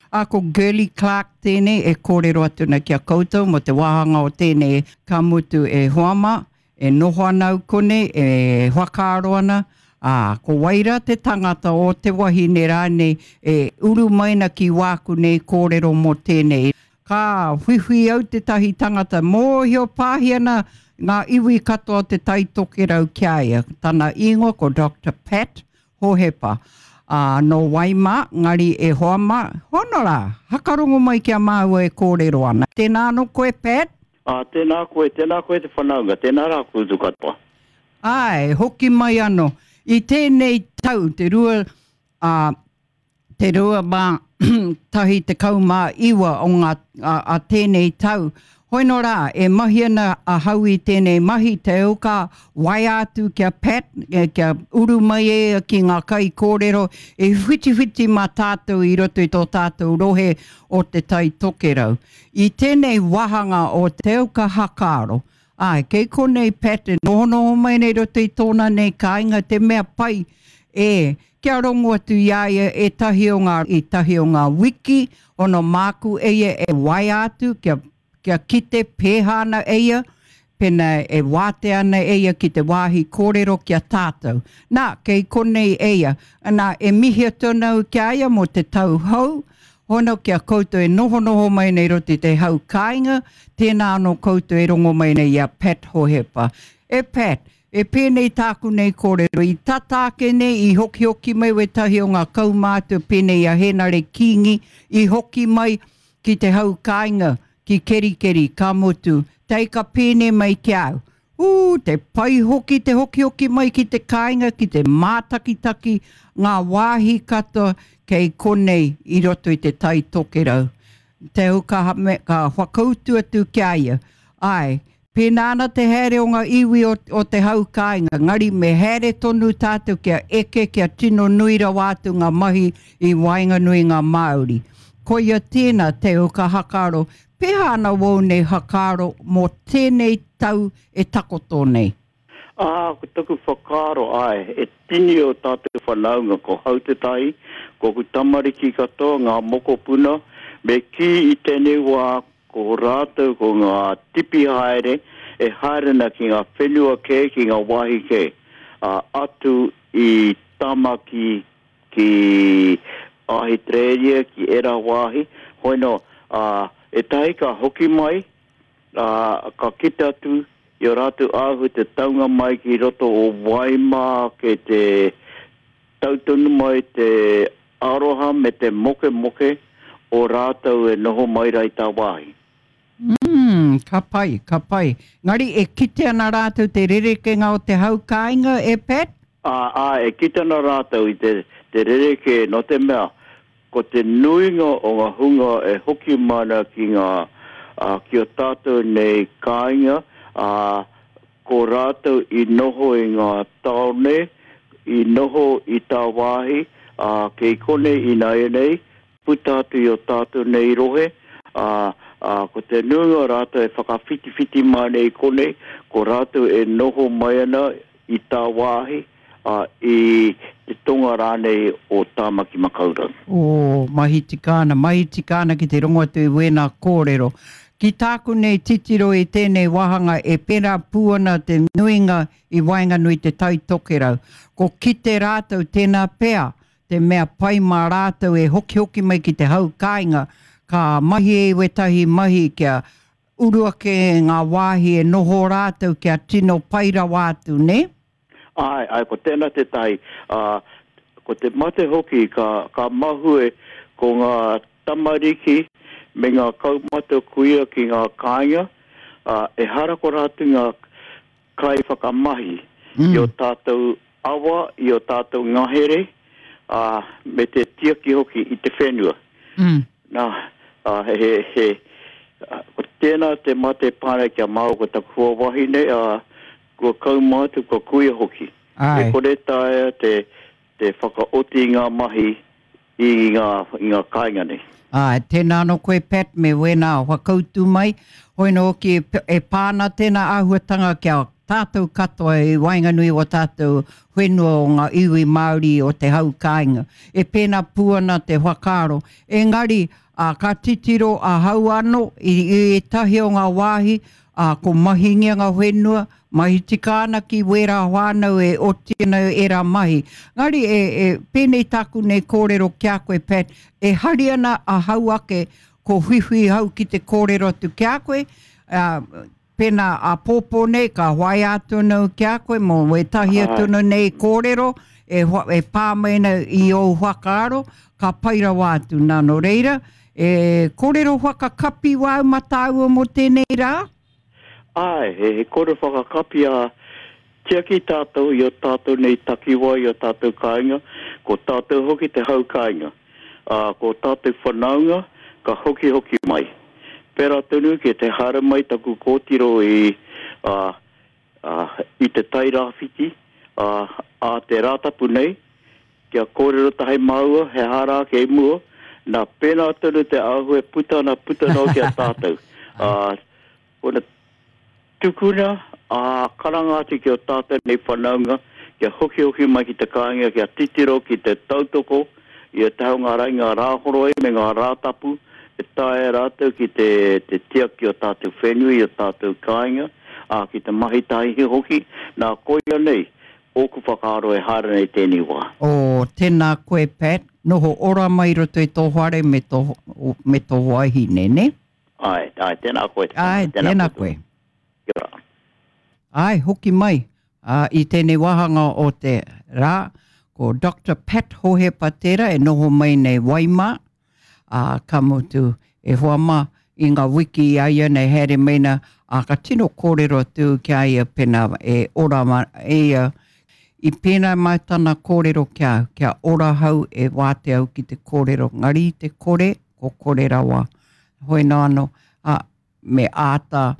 Ā, ko Girlie Clarke tēnei e kōrero atu ana ki a koutou mō te wāhanga o tēnei ka mutu e hoa mā, e noho ana au konei, e whakaaro ana, ā, ko wai rā te tangata o te wahine rānei e uru mai ana ki wāku nei kōrero mō tēnei. Ka whiwhi au tētahi tangata mōhio pāhi ana ngā iwi katoa o Te Tai Tokerau ki a ia. Tana ingoa ko Doctor Pat Hohepa. Ā, nō wai mā, ngari e hoa mā, hono rā, hakarongo mai ki a māua e kōrero ana. Tēnā anō koe, Pat? Ā, tēnā koe, tēnā koe te whanaunga, tēnā rā koutou katoa. Āe, hoki mai anō. I tēnei tau, te rua, ā, te 2019 o ngā, a, a tēnei tau. Hoino rā, e mahi ana ahau i tēnei mahi, te au ka waea atu ki a Pat, kia uru mai e ia ki ngā kaikōrero e whitiwhiti mā tātou i roto i tō tātou rohe o Te Tai Tokerau. I tēnei wāhanga o Te Au Ka Hakaaro, āe, kei konei Pat e nohonoho mai nei i roto i tōna nei kāinga, te mea pai, e, Kia rongo atu i a ia ētahi o ngā, ētahi o ngā wiki, ono māku e ia e waea atu kia, kia kite pēhā ana e ia, pēnā e wātea ana e ia ki te wāhi kōrero ki a tātou. Nā, kei konei e ia. Nā, e mihi atu ana au ki a ia mō te tau hou, hono ki a koutou e nohonoho mai nei roto i te hau kāinga, tēnā anō koutou e rongo mai nei i a Pat Hohepa. E Pat, E pēnei tāku nei kōrero, i tata ake nei i hokihoki mai wētahi o ngā kaumātua pēnei i a Hēnare Kīngi, i hoki mai ki te hau kāinga, ki Kerikeri, ka mutu, tae ka pēnei mai ki a au, Ū, te pai hoki te hokihoki mai ki te kāinga, ki te mātakitaki ngā wāhi katoa kei konei i roto i te Tai Tokerau. Te au ka, ka whakautu atu ki a ia, Āe, Pēnā ana te haere o ngā iwi o, o te hau kāinga, ngari me haere tonu tātou kia eke, kia tino nui rawa atu ngā mahi i waenganui ngā Māori. Koia tēnā te au ka hakaaro, pēhā ana wōu nei hakaaro mō tēnei tau e takoto nei? Ā, ko taku whakaaro, āe, e tini o tātou whanaunga, ko hau tētahi, ko aku tamariki katoa, ngā mokopuna, me kī i tēnei wā Ko rātou ko ngā tipi haere e haere ana ki ngā whenua kē, ki ngā wāhi kē, ā, atu i Tamaki ki Ahitereiria, ki ērā wāhi, hoi nō, ā, ētahi ka hoki mai, ā, ka kite atu i ō rātou āhua te taunga mai ki roto o Waimā kei te Tau tonu mai te aroha me te mokemoke o rātou e noho mai ra i tāwāhi. Umm, ka pai, ka pai. Engari e kite ana rātou te rerekenga o te hau kāinga, e Pat? Ā, āe, e kite ana rātou i te, te rerekē, nō te mea, ko te nuinga o ngā hunga e hoki mai ana ki ngā, ā, ki ō tātou nei kāinga, ā, Ko rātou i noho i ngā tāone, i noho i tāwāhi, ā, kei konei ināianei, puta atu i ō tātou nei rohe, ā, ā, ko te nuinga o rātou e whakawhitiwhiti mai nei i konei, ko rātou e noho mai ana i tāwāhi, ā, i te tonga rānei o Tāmaki Makaurau. Ō, mahi tika ana, mahi tika ana ki te rongo atu i wēnā kōrero. Ki tāku nei titiro i tēnei wāhanga e pērā pū ana te nuinga i waenganui i Te Tai Tokerau. Ko kite rātou tēnā pea te mea pai mā rātou e hokihoki mai ki te hau kāinga, ka mahi e wētahi mahi kia uru ake ngā wāhi e noho rātou kia tino pai rawa atu, nē? Āe, āe, ko tēnā tētahi, ā, ko te mate hoki ka, ka mahue ko ngā tamariki me ngā kaumātua kuia ki ngā kāinga, ā, ehara ko rātou ngā kaiwhakamahi i ō tātou awa, i ō tātou ngahere, ā, me te tiaki hoki i te whenua. Nā, ā, he, he, ko tēnā te mate pānei ki a māua ko taku hoa wahine, ā, Kua kaumātua, kua kuia hoki. Āe. E kore taea te, te whakaoti i ngā mahi i ngā, i ngā kāinga nei. Āe, tēnā anō koe Pat me wēnā whakautu mai. Hoi anō hoki e, e pā ana tēnā āhuatanga ki a tātou katoa i waenganui o tātou whenua o ngā iwi Māori o te hau kāinga. E pēnā pū ana te whakaaro. Engari, ā, ka titiro ahau anō i ētahi o ngā wāhi, ā, ko mahingia ngā whenua, mahi tika ana ki wērā whānau e oti ana ērā mahi. Engari, e, e, pēnei tāku nei kōrero ki a koe, Pat, e hari ana ahau ake ko whiwhi hau ki te kōrero atu ki a koe, ā, Pēnā āpōpō nei ka waea atu ana au ki a koe mō wētahi atu ana nei kōrero e, e pā mai ana i ōu whakaaro, ka pai rawa atu. Nā, nō reira, e kōrero whakakapi wāu mā tāua mō tēnei rā? Āe, he, he kōrero whakakapi a tiaki tātou i o tātou nei takiwā, i o tātou kāinga, ko tātou hoki te hau kāinga. Ā, ko tātou whanaunga ka hokihoki mai. Pērā tonu ki te haere mai taku kōtiro i, ā, ā, i Te Tai Rāwhiti, ā, ā te Rātapu nei, kia kōrero tahi māua he aha rā kei mua, nā, pēnā tonu te āhua e puta ana puta noa ki a tātou. Ā, Kona tukuna, ā, karanga atu ki ō tātou nei whanaunga kia hokihoki mai ki te kāinga kia titiro ki te tautoko i a Te Haungarai ngā Rāhoroi me ngā Rātapu e taea rātou ki te te tiaki o tātou whenua i o tātou kāinga, ā, ki te mahi tahi hoki, nā koia nei ōku whakaaro e haere nei tēnei wā. Oh, tēnā koe Pat, noho ora mai i roto i tō whare me tō, me tō wahine, nē? Āe, āe, tēnā koe. Āe, tēnā koe. Kia ora. Āe, hoki mai ā, i tēnei wāhanga o te rā, ko Doctor Pat Hohepa tērā e noho mai nei Waimā, ā, ka mutu, e hoa mā, i ngā wiki i a ia nei haere mai na, ā, ka tino kōrero atu ki a ia pēnā e ora ma, e ia, i pēnā mai tana kōrero ki a au, kia ora hau e wātea au ki te kōrero, ngari i te kore, ko kore rawa. Hoi nō anō, ā, me āta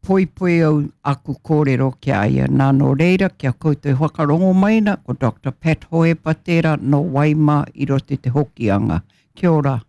poipoi au aku kōrero ki a ia. Nā, nō reira, kia koutou e whakarongo mai ana, ko Doctor Pat Hohepa tērā nō Waimā i roto i te Hokianga. Kia ora.